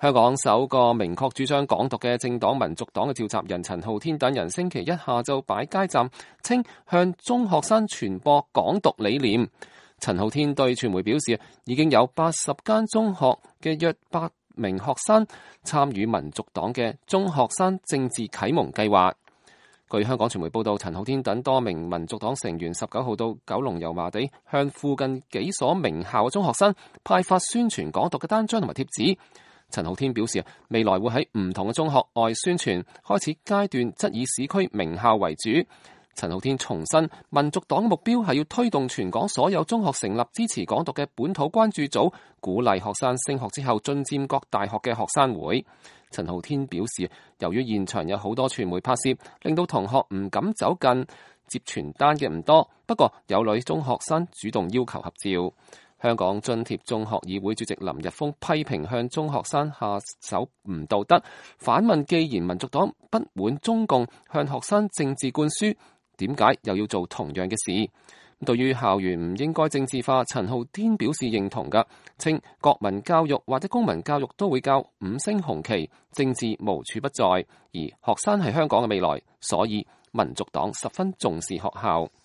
香港首個明確主張港獨嘅政黨民族黨嘅召集人陳浩天等人星期一下晝擺街站，稱向中學生傳播港獨理念。陳浩天對傳媒表示，已經有80間中學嘅約8名學生參與民族黨嘅中學生政治啟蒙計劃。據香港傳媒報道，陳浩天等多名民族黨成員19號到九龍油麻地向附近幾所名校嘅中學生派發宣傳港獨嘅單張同埋貼紙。陳浩天表示，未來會喺唔同嘅中學外宣傳，開始階段則以市區名校為主。陳浩天重申，民族黨嘅目標係要推動全港所有中學成立支持港獨嘅本土關注組，鼓勵學生升學之後進佔各大學嘅學生會。陳浩天表示，由於現場有好多傳媒拍攝，令到同學唔敢走近，接傳單嘅唔多，不過有女中學生主動要求合照。香港津貼中學議會主席林日豐批評向中學生下手唔道德，反問既然民族黨不滿中共向學生政治灌輸，點解又要做同樣嘅事？對於校園唔應該政治化，陳浩天表示認同㗎，稱國民教育或者公民教育都會教五星紅旗，政治無處不在，而學生係香港嘅未來，所以民族黨十分重視學校。